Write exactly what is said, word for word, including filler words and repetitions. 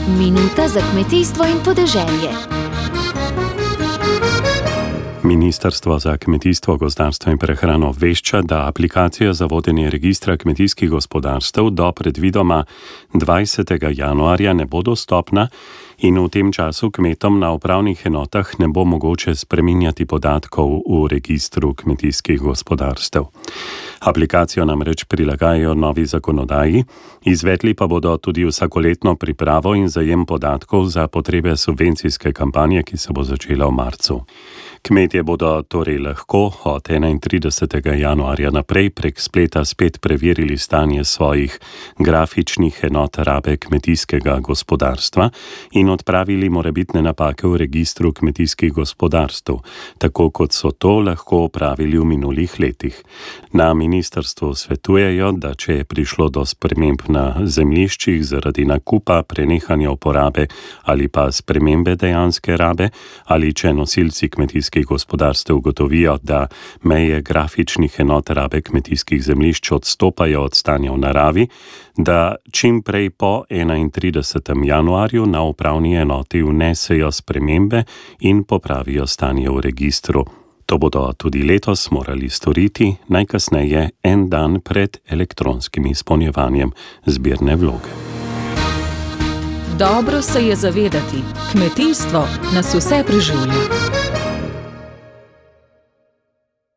Minuta za kmetijstvo in podeželje. Ministrstvo za kmetijstvo, gozdarstvo in prehrano obvešča, da aplikacija za vodenje registra kmetijskih gospodarstev do predvidoma dvajsetega januarja ne bo dostopna in v tem času kmetom na upravnih enotah ne bo mogoče spreminjati podatkov v registru kmetijskih gospodarstev. Aplikacijo namreč prilagajajo novi zakonodaji, izvedli pa bodo tudi vsakoletno pripravo in zajem podatkov za potrebe subvencijske kampanje, ki se bo začela v marcu. Kmetje bodo torej lahko od enaintridesetega januarja naprej prek spleta spet preverili stanje svojih grafičnih enot rabe kmetijskega gospodarstva in odpravili morebitne napake v registru kmetijskih gospodarstev, tako kot so to lahko opravili v minulih letih. Na ministrstvu svetujejo, da če je prišlo do sprememb na zemljiščih zaradi nakupa, prenehanja uporabe ali pa spremembe dejanske rabe, ali če nosilci kmetijskih gospodarstev ugotovijo, da meje grafičnih enot rabe kmetijskih zemljišč odstopajo od stanja v naravi, da čim prej po enaintridesetem januarju na upravni enoti vnesejo spremembe in popravijo stanje v registru. To bodo tudi letos morali storiti, najkasneje en dan pred elektronskim izpolnjevanjem zbirne vloge. Dobro se je zavedati, kmetijstvo nas vse preživlja.